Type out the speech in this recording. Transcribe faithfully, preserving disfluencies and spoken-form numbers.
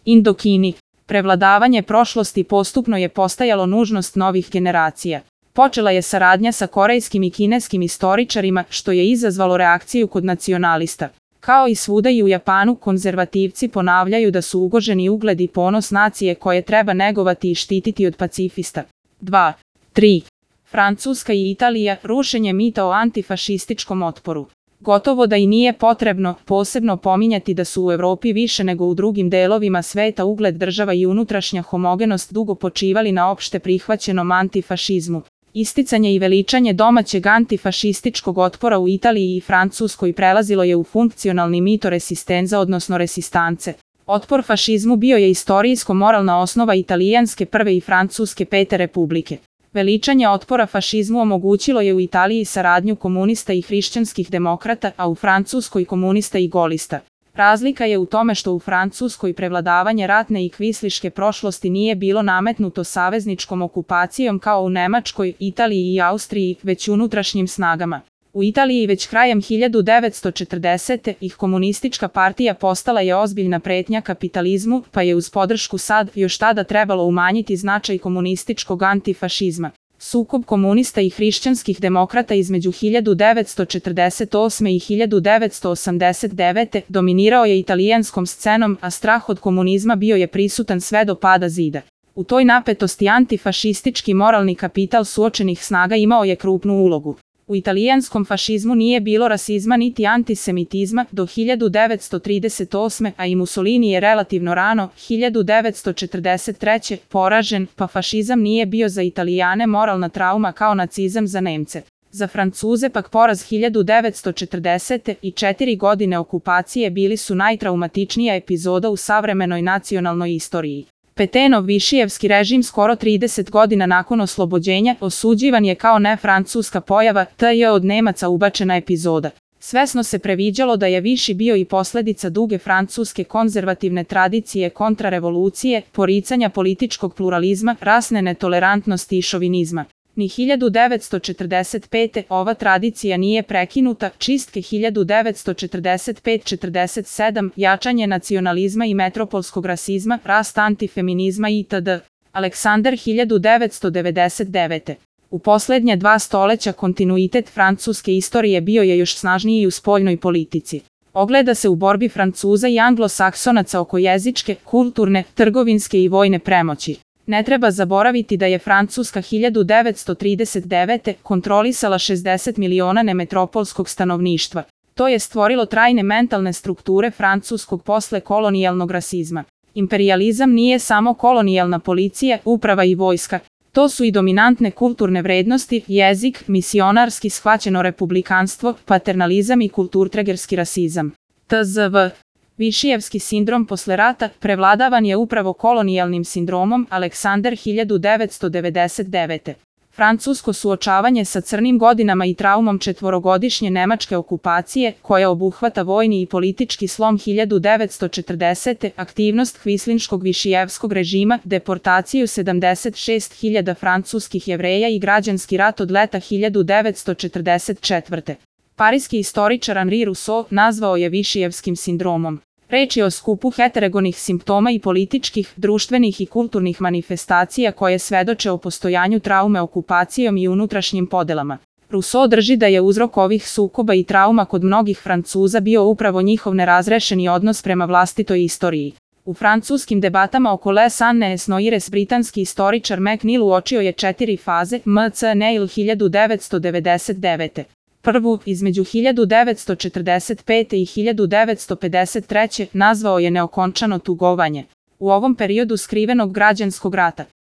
Indokini. Prevladavanje prošlosti postupno je postajalo nužnost novih generacija. Počela je saradnja sa korejskim i kineskim istoričarima, što je izazvalo reakciju kod nacionalista. Kao i svuda i u Japanu, konzervativci ponavljaju da su ugroženi ugled i ponos nacije koje treba negovati i štititi od pacifista. dva. tri. Francuska i Italija, rušenje mita o antifašističkom otporu. Gotovo da i nije potrebno posebno pominjati da su u Evropi više nego u drugim delovima sveta ugled država i unutrašnja homogenost dugo počivali na opšte prihvaćenom antifašizmu. Isticanje i veličanje domaćeg antifašističkog otpora u Italiji i Francuskoj prelazilo je u funkcionalni mito resistenza odnosno resistance. Otpor fašizmu bio je istorijsko-moralna osnova italijanske prve i francuske pete republike. Veličanje otpora fašizmu omogućilo je u Italiji saradnju komunista i hrišćanskih demokrata, a u Francuskoj komunista i golista. Razlika je u tome što u Francuskoj prevladavanje ratne i kvisliške prošlosti nije bilo nametnuto savezničkom okupacijom kao u Nemačkoj, Italiji i Austriji, već unutrašnjim snagama. U Italiji već krajem hiljadu devetsto četrdesete. ih komunistička partija postala je ozbiljna pretnja kapitalizmu, pa je uz podršku sad još tada trebalo umanjiti značaj komunističkog antifašizma. Sukob komunista i hrišćanskih demokrata između hiljadu devetsto četrdeset osme. i hiljadu devetsto osamdeset devete. dominirao je italijanskom scenom, a strah od komunizma bio je prisutan sve do pada zida. U toj napetosti antifašistički moralni kapital suočenih snaga imao je krupnu ulogu. U italijanskom fašizmu nije bilo rasizma niti antisemitizma do hiljadu devetsto trideset osme. a i Mussolini je relativno rano, hiljadu devetsto četrdeset treće. poražen, pa fašizam nije bio za Italijane moralna trauma kao nacizam za Nemce. Za Francuze pak poraz hiljadu devetsto četrdesete. i četiri godine okupacije bili su najtraumatičnija epizoda u savremenoj nacionalnoj istoriji. Petenov višijevski režim skoro trideset godina nakon oslobođenja osuđivan je kao nefrancuska pojava, te je od Nemaca ubačena epizoda. Svesno se previđalo da je Viši bio i posljedica duge francuske konzervativne tradicije kontrarevolucije, poricanja političkog pluralizma, rasne netolerantnosti i šovinizma. Ni hiljadu devetsto četrdeset pete. ova tradicija nije prekinuta, čistke hiljadu devetsto četrdeset pete do četrdeset sedme. jačanje nacionalizma i metropolskog rasizma, rast antifeminizma itd. Aleksandar hiljadu devetsto devedeset devete. U posljednje dva stoleća kontinuitet francuske istorije bio je još snažniji u spoljnoj politici. Ogleda se u borbi Francuza i Anglosaksonaca oko jezičke, kulturne, trgovinske i vojne premoći. Ne treba zaboraviti da je Francuska hiljadu devetsto trideset devete. kontrolisala šezdeset miliona nemetropolskog stanovništva. To je stvorilo trajne mentalne strukture francuskog posle kolonijalnog rasizma. Imperializam nije samo kolonijalna policija, uprava i vojska. To su i dominantne kulturne vrednosti, jezik, misionarski shvaćeno republikanstvo, paternalizam i kulturtregerski rasizam. T Z V. Višijevski sindrom posle rata prevladavan je upravo kolonijalnim sindromom. Aleksandar hiljadu devetsto devedeset devete. Francusko suočavanje sa crnim godinama i traumom četvorogodišnje nemačke okupacije, koja obuhvata vojni i politički slom hiljadu devetsto četrdesete. aktivnost kvislinškog višijevskog režima, deportaciju sedamdeset šest hiljada francuskih Jevreja i građanski rat od leta hiljadu devetsto četrdeset četvrte. Parijski istoričar Henri Rousseau nazvao je višijevskim sindromom. Reč je o skupu heterogenih simptoma i političkih, društvenih i kulturnih manifestacija koje svedoče o postojanju traume okupacijom i unutrašnjim podelama. Rousseau drži da je uzrok ovih sukoba i trauma kod mnogih Francuza bio upravo njihov nerazrešeni odnos prema vlastitoj istoriji. U francuskim debatama oko Les Années Noires britanski istoričar McNeill uočio je četiri faze M C Neil hiljadu devetsto devedeset devete. Prvu, između hiljadu devetsto četrdeset pete. i hiljadu devetsto pedeset treće. nazvao je neokončano tugovanje. U ovom periodu skrivenog građanskog rata,